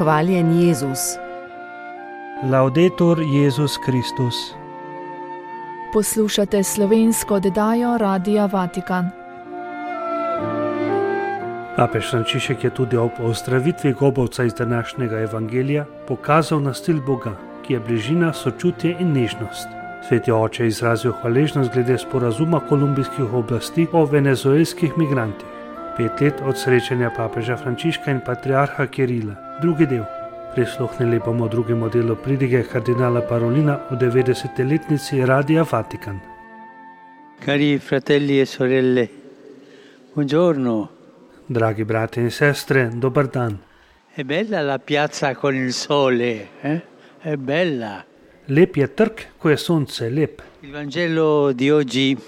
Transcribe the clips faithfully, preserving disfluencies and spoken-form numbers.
Hvaljen Jezus. Laudetur Jezus Kristus. Poslušate slovensko oddajo Radia Vatikan. Papež Frančišek je tudi ob ozdravitvi gobavca iz današnjega evangelija pokazal na stil Boga, ki je bližina, sočutje in nežnost. Sveti oče je izrazil hvaležnost glede sporazuma kolumbijskih oblasti o venezuelskih migrantih. Pet let od srečanja papeža Frančiška in patriarha Kirila. Drugi del. Prisluhnili bomo drugemu delu pridige kardinala Parolina o devetdesetletnici Radia Vatikan. Cari fratelli e sorelle, buongiorno. Dragi brati in sestre, dober dan. È bella la piazza con il sole, eh? È bella. Lep je trg, ko je sonce, lep. Il Vangelo di oggi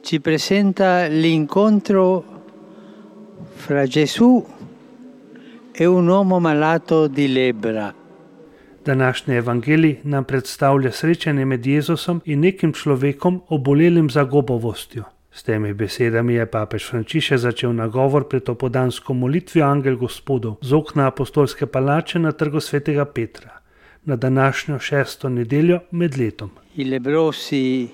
ci presenta l'incontro fra Gesù e un uomo malato di lebbra. Današnji evangelij nam predstavlja srečanje med Jezusom in nekim človekom, obolelim za gobavostjo. S temi besedami je papež Frančišek začel nagovor pred opoldansko molitvijo Angel Gospodov z okna apostolske palače na trgu svetega Petra, na današnjo šesto nedeljo med letom. I lebbrosi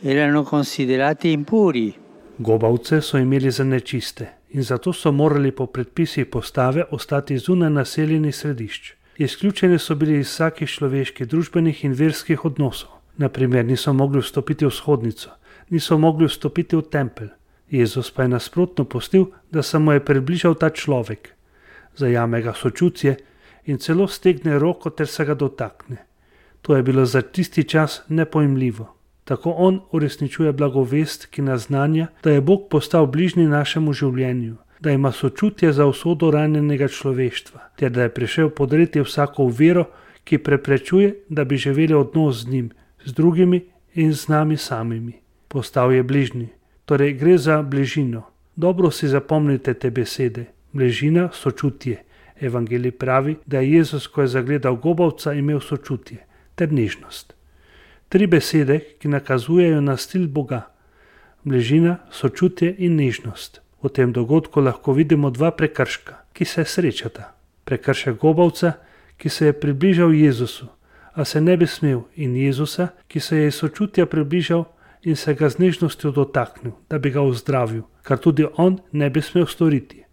erano considerati impuri. Gobavce so imeli za nečiste in zato so morali po predpisih postave ostati zunaj naseljenih središč. Izključeni so bili iz vsakih človeških, družbenih in verskih odnosov. Naprimer, niso mogli vstopiti v shodnico, niso mogli vstopiti v tempelj. Jezus pa je nasprotno pustil, da se mu je približal ta človek. Zajame ga sočutje in celo stegne roko ter se ga dotakne. To je bilo za tisti čas nepojmljivo. Tako on uresničuje blagovest, ki naznanja, da je Bog postal bližnji našemu življenju, da ima sočutje za usodo ranjenega človeštva, ter da je prišel podreti vsako vero, ki preprečuje, da bi živeli odnos z njim, z drugimi in z nami samimi. Postal je bližnji, torej gre za bližino. Dobro si zapomnite te besede. Bližina, sočutje. Evangelij pravi, da je Jezus, ko je zagledal gobavca, imel sočutje ter nežnost. Tri besede, ki nakazujejo na stil Boga. Bližina, sočutje in nežnost. V tem dogodku lahko vidimo dva prekrška, ki se srečata. Prekršek gobavca, ki se je približal Jezusu, a se ne bi smel, in Jezusa, ki se je iz sočutja približal in se ga z nežnostjo dotaknil, da bi ga ozdravil, kar tudi on ne bi smel storiti.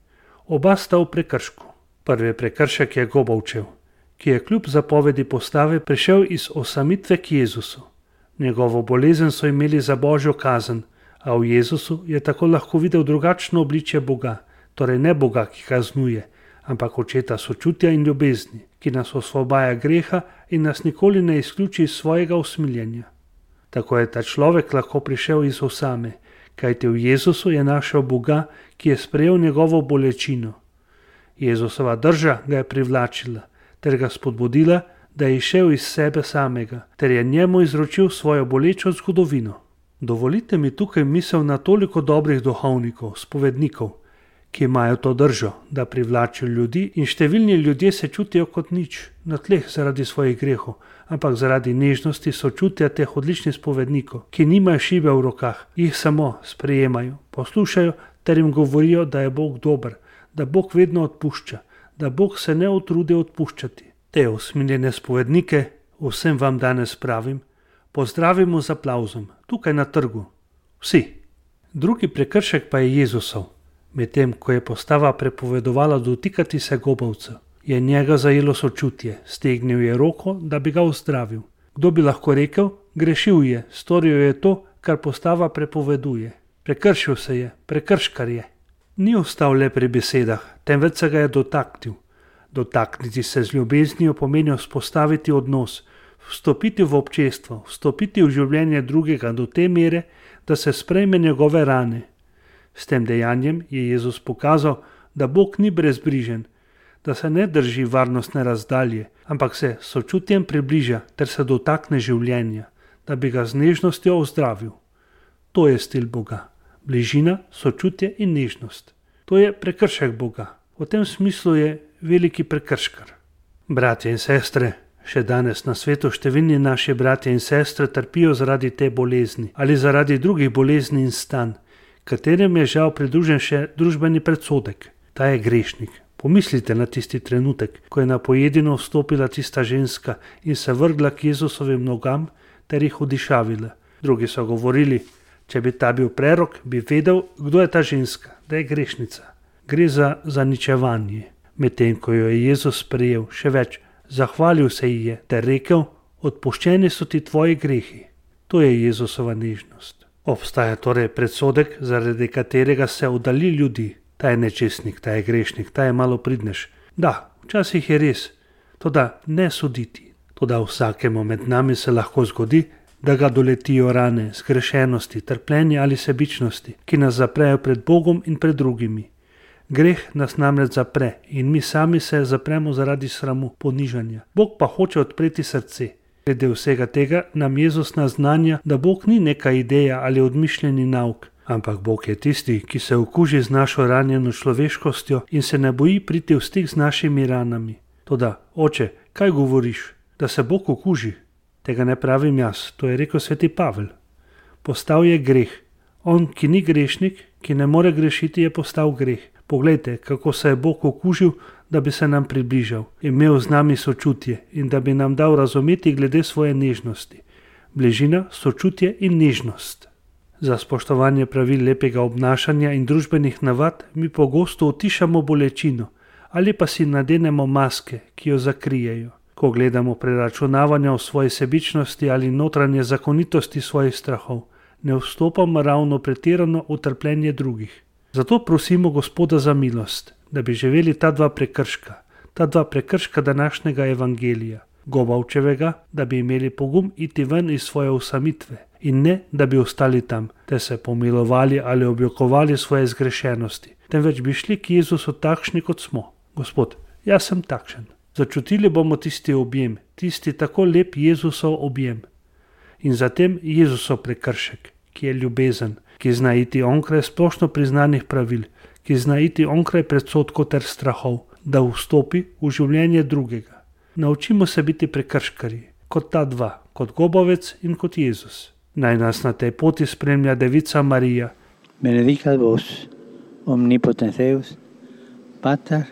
Oba sta v prekršku. Prvi prekršek je gobavčev, ki je kljub zapovedi postave prišel iz osamitve k Jezusu. Njegovo bolezen so imeli za božjo kazen, a v Jezusu je tako lahko videl drugačno obličje Boga, torej ne Boga, ki kaznuje, ampak očeta sočutja in ljubezni, ki nas osvobaja greha in nas nikoli ne izključi iz svojega usmiljenja. Tako je ta človek lahko prišel iz osame, kajti v Jezusu je našel Boga, ki je sprejel njegovo bolečino. Jezusova drža ga je privlačila, ter ga spodbudila, da je išel iz sebe samega, ter je njemu izročil svojo bolečo zgodovino. Dovolite mi tukaj misel na toliko dobrih duhovnikov, spovednikov, ki imajo to držo, da privlačijo ljudi, in številni ljudje se čutijo kot nič, na tleh zaradi svojih grehov, ampak zaradi nežnosti sočutja teh odličnih spovednikov, ki nimajo šibe v rokah, jih samo sprejemajo, poslušajo ter jim govorijo, da je Bog dober, da Bog vedno odpušča, da Bog se ne utrudi odpuščati. Te usmiljene spovednike, vsem vam danes pravim, pozdravimo z aplavzom, tukaj na trgu. Vsi. Drugi prekršek pa je Jezusov. Medtem, ko je postava prepovedovala dotikati se gobavcev, je njega zajelo sočutje, stegnil je roko, da bi ga ozdravil. Kdo bi lahko rekel, grešil je, storil je to, kar postava prepoveduje. Prekršil se je, prekrškar je. Ni ostal le pri besedah, temveč se ga je dotaknil. Dotakniti se z ljubeznijo pomeni vzpostaviti odnos, vstopiti v občestvo, vstopiti v življenje drugega do te mere, da se sprejme njegove rane. S tem dejanjem je Jezus pokazal, da Bog ni brezbrižen, da se ne drži varnostne razdalje, ampak se sočutjem približa ter se dotakne življenja, da bi ga z nežnostjo ozdravil. To je stil Boga. Bližina, sočutje in nežnost. To je prekršek Boga. V tem smislu je veliki prekrškar. Bratje in sestre, še danes na svetu številni naši bratje in sestre trpijo zaradi te bolezni ali zaradi drugih bolezni in stanj, katerem je žal pridružen še družbeni predsodek. Ta je grešnik. Pomislite na tisti trenutek, ko je na pojedino vstopila tista ženska in se vrgla k Jezusovim nogam ter jih odišavila. Drugi so govorili, če bi ta bil prerok, bi vedel, kdo je ta ženska, da je grešnica. Gre za zaničevanje. Medtem ko jo je Jezus sprejel, še več, zahvalil se ji je ter rekel, odpuščeni so ti tvoji grehi. To je Jezusova nežnost. Obstaja torej predsodek, zaradi katerega se oddalji ljudi. Ta je nečestnik, ta je grešnik, ta je malopridnež. Da, včasih je res, toda ne soditi. Toda vsakemu med nami se lahko zgodi, da ga doletijo rane, zgrešenosti, trpljenje ali sebičnosti, ki nas zaprejo pred Bogom in pred drugimi. Greh nas namreč zapre in mi sami se zapremo zaradi sramu, ponižanja. Bog pa hoče odpreti srce. Glede vsega tega nam Jezus naznanja, da Bog ni neka ideja ali odmišljeni nauk, ampak Bog je tisti, ki se okuži z našo ranjeno človeškostjo in se ne boji priti v stik z našimi ranami. Toda, oče, kaj govoriš? Da se Bog okuži? Tega ne pravim jaz, to je rekel sveti Pavel. Postal je greh. On, ki ni grešnik, ki ne more grešiti, je postal greh. Poglejte, kako se je Bog okužil, da bi se nam približal, imel z nami sočutje in da bi nam dal razumeti glede svoje nežnosti. Bližina, sočutje in nežnost. Za spoštovanje pravil lepega obnašanja in družbenih navad mi pogosto utišamo bolečino ali pa si nadenemo maske, ki jo zakrijejo. Ko gledamo preračunavanja o svoji sebičnosti ali notranje zakonitosti svojih strahov, ne vstopamo ravno pretirano v trpljenje drugih. Zato prosimo Gospoda za milost, da bi živeli ta dva prekrška, ta dva prekrška današnjega evangelija, Gobavčevega, da bi imeli pogum iti ven iz svoje osamitve in ne, da bi ostali tam, te se pomilovali ali objokovali svoje zgrešenosti, temveč bi šli k Jezusu takšni, kot smo. Gospod, jaz sem takšen. Začutili bomo tisti objem, tisti tako lep Jezusov objem. In zatem Jezusov prekršek, ki je ljubezen, ki zna iti onkraj splošno priznanih pravil, ki zna iti onkraj predsodkov ter strahov, da vstopi v življenje drugega. Naučimo se biti prekrškarji, kot ta dva, kot Gobavec in kot Jezus. Naj nas na tej poti spremlja Devica Marija. Benedicat vos, omnipotens Deus, Pater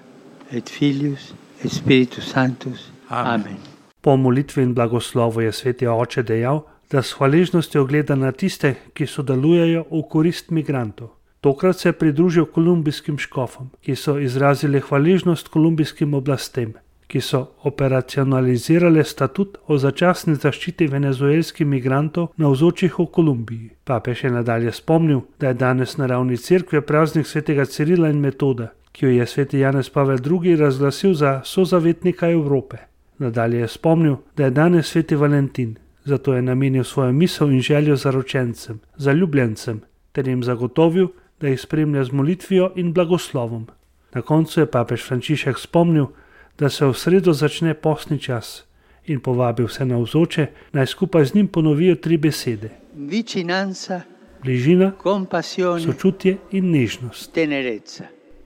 et Filius et Spiritus Sanctus. Amen. Po molitvi in blagoslovu je sveti oče dejal, da s hvaležnostjo gleda na tiste, ki sodelujejo v korist migrantov. Tokrat se je pridružil kolumbijskim škofom, ki so izrazili hvaležnost kolumbijskim oblastem, ki so operacionalizirale statut o začasni zaščiti venezuelskih migrantov navzočih v Kolumbiji. Papež je nadalje spomnil, da je danes na ravni cerkve praznik svetega Cirila in Metoda, ki jo je sveti Janez Pavel drugi razglasil za sozavetnika Evrope. Nadalje je spomnil, da je danes sveti Valentin, zato je namenil svojo misel in željo zaročencem, zaljubljencem, ter jim zagotovil, da jih spremlja z molitvijo in blagoslovom. Na koncu je papež Frančišek spomnil, da se v sredo začne postni čas in povabil vse navzoče, naj skupaj z njim ponovijo tri besede. Vicinanza, bližina, compassione, sočutje in nežnost. tenerezza.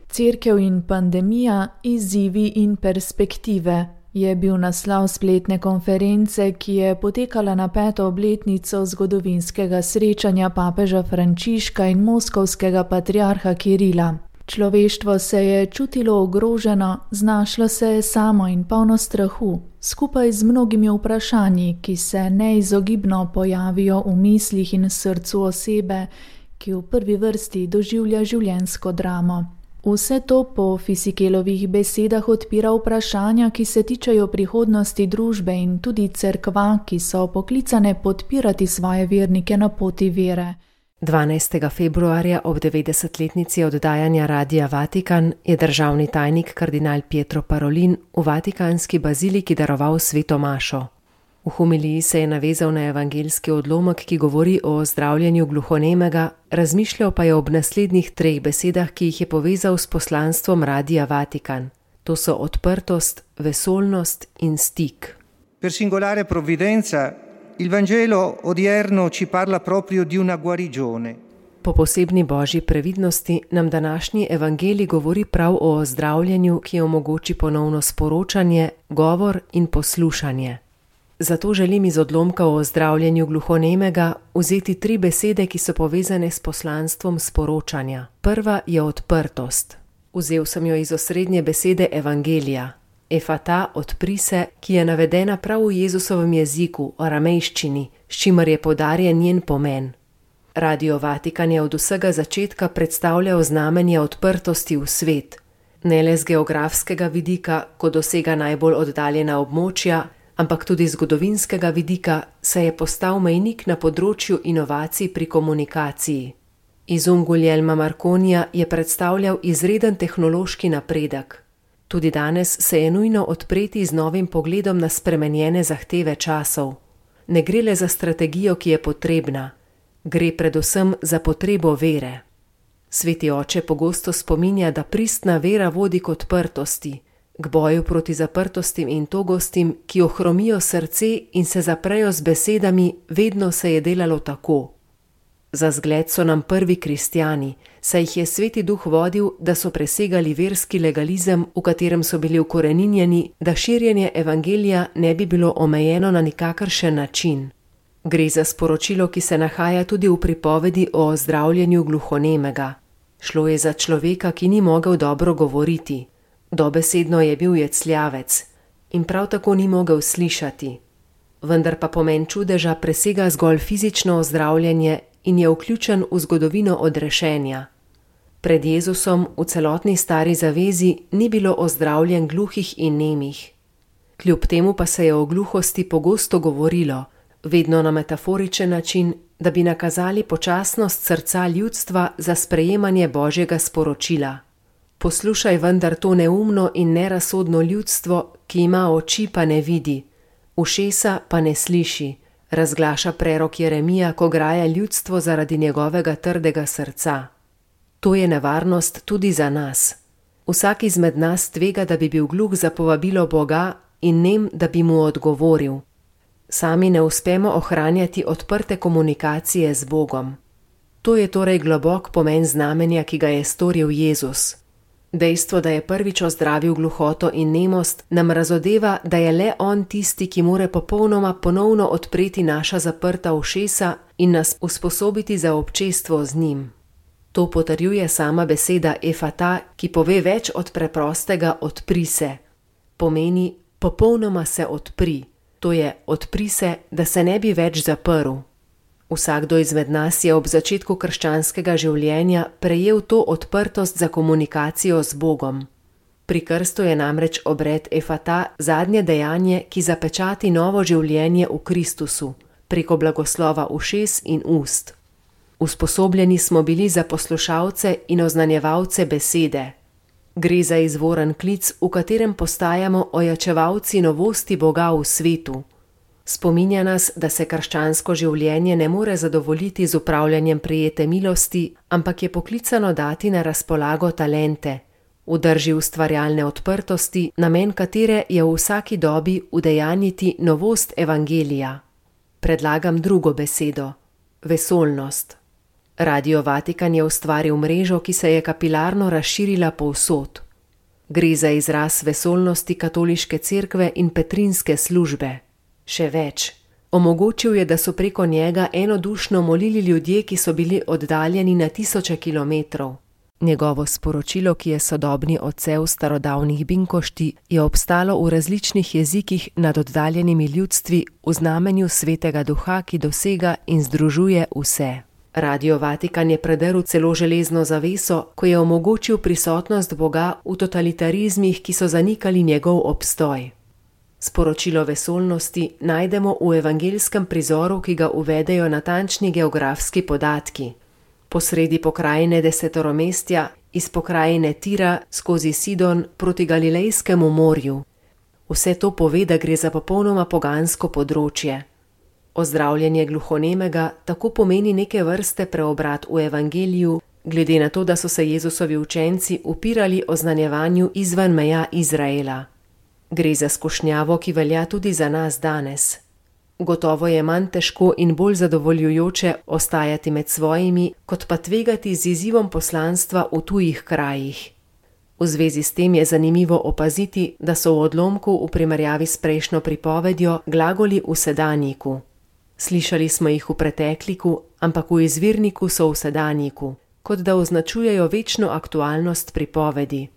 Cerkev in pandemija, izzivi in perspektive je bil naslov spletne konference, ki je potekala na peto obletnico zgodovinskega srečanja papeža Frančiška in moskovskega patriarha Kirila. Človeštvo se je čutilo ogroženo, znašlo se je samo in polno strahu, skupaj z mnogimi vprašanji, ki se neizogibno pojavijo v mislih in srcu osebe, ki v prvi vrsti doživlja življenjsko dramo. Vse to po Fisikelovih besedah odpira vprašanja, ki se tičejo prihodnosti družbe in tudi cerkva, ki so poklicane podpirati svoje vernike na poti vere. dvanajstega februarja ob devetdesetletnici oddajanja Radia Vatikan je državni tajnik kardinal Pietro Parolin v vatikanski baziliki daroval sveto mašo. V homiliji se je navezal na evangeljski odlomek, ki govori o zdravljenju gluhonemega, razmišljal pa je ob naslednjih treh besedah, ki jih je povezal s poslanstvom Radia Vatikan. To so odprtost, vesoljnost in stik. Per singolare provvidenza, il Vangelo odierno ci parla proprio di una guarigione. Po posebni božji previdnosti nam današnji evangelij govori prav o zdravljenju, ki omogoči ponovno sporočanje, govor in poslušanje. Zato želim iz odlomka o zdravljenju gluhonemega vzeti tri besede, ki so povezane s poslanstvom sporočanja. Prva je odprtost. Vzel sem jo iz osrednje besede evangelija, efata, odpri se, ki je navedena prav v Jezusovem jeziku, aramejščini, s čimer je poudarjen njen pomen. Radio Vatikan je od vsega začetka predstavljal znamenje odprtosti v svet, ne le z geografskega vidika, ko dosega najbolj oddaljena območja, ampak tudi z zgodovinskega vidika, saj je postal mejnik na področju inovacij pri komunikaciji. Izum Guglielma Marconija je predstavljal izreden tehnološki napredek. Tudi danes se je nujno odpreti z novim pogledom na spremenjene zahteve časov. Ne gre le za strategijo, ki je potrebna, gre predvsem za potrebo vere. Sveti oče pogosto spominja, da pristna vera vodi k odprtosti, k boju proti zaprtostim in togostim, ki ohromijo srce in se zaprejo z besedami, vedno se je delalo tako. Za zgled so nam prvi kristjani, saj jih je Sveti Duh vodil, da so presegali verski legalizem, v katerem so bili ukoreninjeni, da širjenje evangelija ne bi bilo omejeno na nikakršen način. Gre za sporočilo, ki se nahaja tudi v pripovedi o ozdravljenju gluhonemega. Šlo je za človeka, ki ni mogel dobro govoriti. Dobesedno je bil jecljavec in prav tako ni mogel slišati. Vendar pa pomen čudeža presega zgolj fizično ozdravljanje in je vključen v zgodovino odrešenja. Pred Jezusom v celotni stari zavezi ni bilo ozdravljen gluhih in nemih. Kljub temu pa se je o gluhosti pogosto govorilo, vedno na metaforičen način, da bi nakazali počasnost srca ljudstva za sprejemanje Božjega sporočila. Poslušaj vendar to neumno in nerazsodno ljudstvo, ki ima oči pa ne vidi, ušesa pa ne sliši, razglaša prerok Jeremija, ko graja ljudstvo zaradi njegovega trdega srca. To je nevarnost tudi za nas. Vsak izmed nas tvega, da bi bil gluh za povabilo Boga in nem, da bi mu odgovoril. Sami ne uspemo ohranjati odprte komunikacije z Bogom. To je torej globok pomen znamenja, ki ga je storil Jezus. Dejstvo, da je prvič ozdravil gluhoto in nemost, nam razodeva, da je le On tisti, ki more popolnoma ponovno odpreti naša zaprta ušesa in nas usposobiti za občestvo z njim. To potrjuje sama beseda efata, ki pove več od preprostega odpri se. Pomeni popolnoma se odpri, to je odpri se, da se ne bi več zaprl. Vsakdo izmed nas je ob začetku krščanskega življenja prejel to odprtost za komunikacijo z Bogom. Pri krstu je namreč obred efata zadnje dejanje, ki zapečati novo življenje v Kristusu, preko blagoslova ušes in ust. Usposobljeni smo bili za poslušalce in oznanjevalce besede. Gre za izvoren klic, v katerem postajamo ojačevalci novosti Boga v svetu. Spominja nas, da se krščansko življenje ne more zadovoljiti z upravljanjem prijete milosti, ampak je poklicano dati na razpolago talente, v drži ustvarjalne odprtosti, namen katere je v vsaki dobi udejanjiti novost evangelija. Predlagam drugo besedo, vesoljnost. Radio Vatikan je ustvaril mrežo, ki se je kapilarno razširila povsod. Gre za izraz vesoljnosti katoliške cerkve in petrinske službe. Še več, omogočil je, da so preko njega enodušno molili ljudje, ki so bili oddaljeni na tisoče kilometrov. Njegovo sporočilo, ki je sodobni odsev starodavnih binkošti, je obstalo v različnih jezikih nad oddaljenimi ljudstvi v znamenju Svetega Duha, ki dosega in združuje vse. Radio Vatikan je predrl celo železno zaveso, ko je omogočil prisotnost Boga v totalitarizmih, ki so zanikali njegov obstoj. Sporočilo vesoljnosti najdemo v evangelskem prizoru, ki ga uvedejo natančni geografski podatki. Posredi pokrajine desetoromestja, iz pokrajine Tira skozi Sidon proti Galilejskemu morju. Vse to pove, da gre za popolnoma pogansko področje. Ozdravljenje gluhonemega tako pomeni neke vrste preobrat v evangeliju, glede na to, da so se Jezusovi učenci upirali oznanjevanju izven meja Izraela. Gre za skušnjavo, ki velja tudi za nas danes. Gotovo je manj težko in bolj zadovoljujoče ostajati med svojimi, kot pa tvegati z izzivom poslanstva v tujih krajih. V zvezi s tem je zanimivo opaziti, da so v odlomku v primerjavi s prejšnjo pripovedjo glagoli v sedanjiku. Slišali smo jih v pretekliku, ampak v izvirniku so v sedanjiku. kot da označujejo večno aktualnost pripovedi.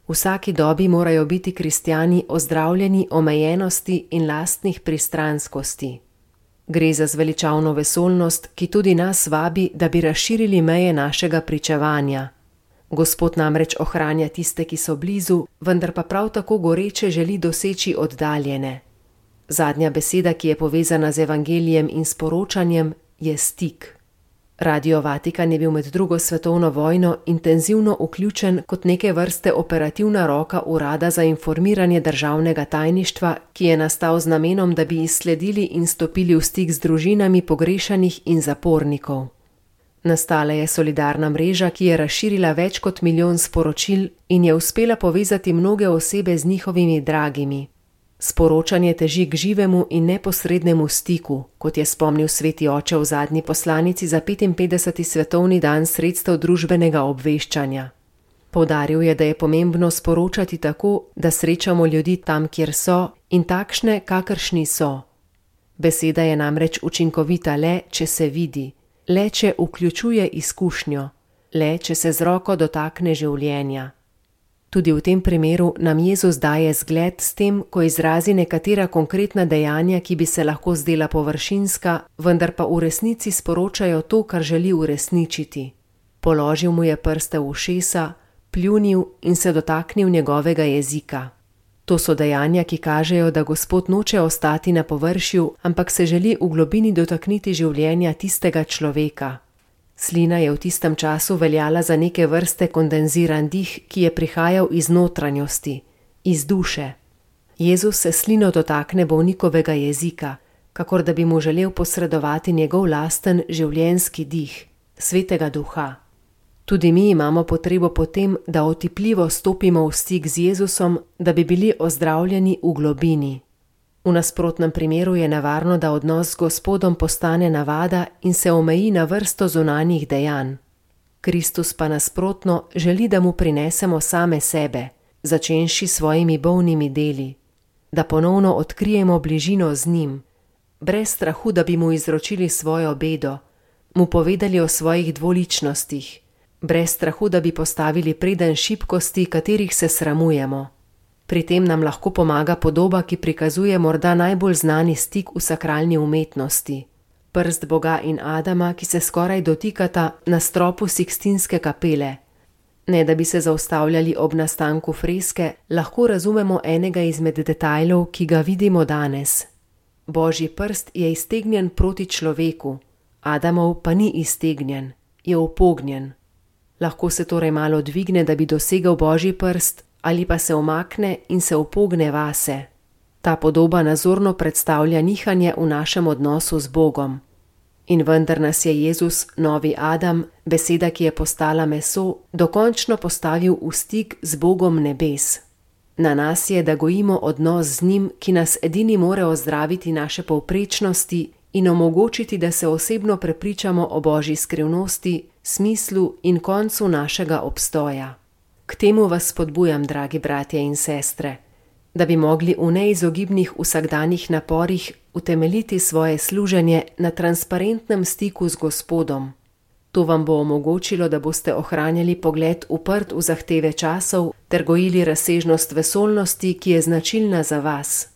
V vsaki dobi morajo biti kristjani ozdravljeni omejenosti in lastnih pristranskosti. Gre za zveličavno vesoljnost, ki tudi nas vabi, da bi razširili meje našega pričevanja. Gospod namreč ohranja tiste, ki so blizu, vendar pa prav tako goreče želi doseči oddaljene. Zadnja beseda, ki je povezana z evangelijem in sporočanjem, je stik. Radio Vatikan je bil med drugo svetovno vojno intenzivno vključen kot neke vrste operativna roka Urada za informiranje državnega tajništva, ki je nastal z namenom, da bi izsledili in stopili v stik z družinami pogrešanih in zapornikov. Nastala je solidarna mreža, ki je razširila več kot milijon sporočil in je uspela povezati mnoge osebe z njihovimi dragimi. Sporočanje teži k živemu in neposrednemu stiku, kot je spomnil sveti oče v zadnji poslanici za petinpetdeseti svetovni dan sredstev družbenega obveščanja. Poudaril je, da je pomembno sporočati tako, da srečamo ljudi tam, kjer so, in takšne, kakršni so. Beseda je namreč učinkovita le, če se vidi, le, če vključuje izkušnjo, le, če se z roko dotakne življenja. Tudi v tem primeru nam Jezus daje zgled s tem, ko izrazi nekatera konkretna dejanja, ki bi se lahko zdela površinska, vendar pa v resnici sporočajo to, kar želi uresničiti. Položil mu je prste v ušesa, pljunil in se dotaknil njegovega jezika. To so dejanja, ki kažejo, da Gospod noče ostati na površju, ampak se želi v globini dotakniti življenja tistega človeka. Slina je v tistem času veljala za neke vrste kondenziran dih, ki je prihajal iz notranjosti, iz duše. Jezus se slino dotakne bolnikovega jezika, kakor da bi mu želel posredovati njegov lasten življenjski dih, svetega duha. Tudi mi imamo potrebo po tem, da otipljivo stopimo v stik z Jezusom, da bi bili ozdravljeni v globini. V nasprotnem primeru je nevarno, da odnos z Gospodom postane navada in se omeji na vrsto zunanjih dejanj. Kristus pa nasprotno želi, da mu prinesemo same sebe, začenši svojimi bolnimi deli, da ponovno odkrijemo bližino z njim, brez strahu, da bi mu izročili svojo bedo, mu povedali o svojih dvoličnostih, brez strahu, da bi postavili preden šibkosti, katerih se sramujemo. Pri tem nam lahko pomaga podoba, ki prikazuje morda najbolj znani stik v sakralni umetnosti. Prst Boga in Adama, ki se skoraj dotikata na stropu Sikstinske kapele. Ne da bi se zaustavljali ob nastanku freske, lahko razumemo enega izmed detajlov, ki ga vidimo danes. Božji prst je iztegnjen proti človeku, Adamov pa ni iztegnjen, je upognjen. Lahko se torej malo dvigne, da bi dosegel Božji prst, ali pa se omakne in se upogne vase. Ta podoba nazorno predstavlja nihanje v našem odnosu z Bogom. In vendar nas je Jezus, novi Adam, beseda, ki je postala meso, dokončno postavil v stik z Bogom nebes. Na nas je, da gojimo odnos z njim, ki nas edini more ozdraviti naše povprečnosti in omogočiti, da se osebno prepričamo o Božji skrivnosti, smislu in koncu našega obstoja. K temu vas spodbujam, dragi bratje in sestre, da bi mogli v neizogibnih vsakdanjih naporih utemeljiti svoje služenje na transparentnem stiku z Gospodom. To vam bo omogočilo, da boste ohranjali pogled uprt v zahteve časov ter gojili razsežnost vesoljnosti, ki je značilna za vas.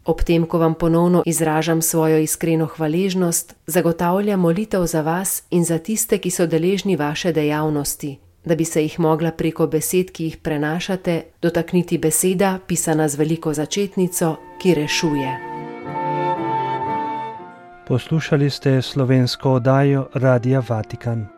Ob tem, ko vam ponovno izražam svojo iskreno hvaležnost, zagotavljam molitev za vas in za tiste, ki so deležni vaše dejavnosti, da bi se jih mogla preko besed, ki jih prenašate, dotakniti beseda, pisana z veliko začetnico, ki rešuje. Poslušali ste slovensko oddajo Radia Vatikan.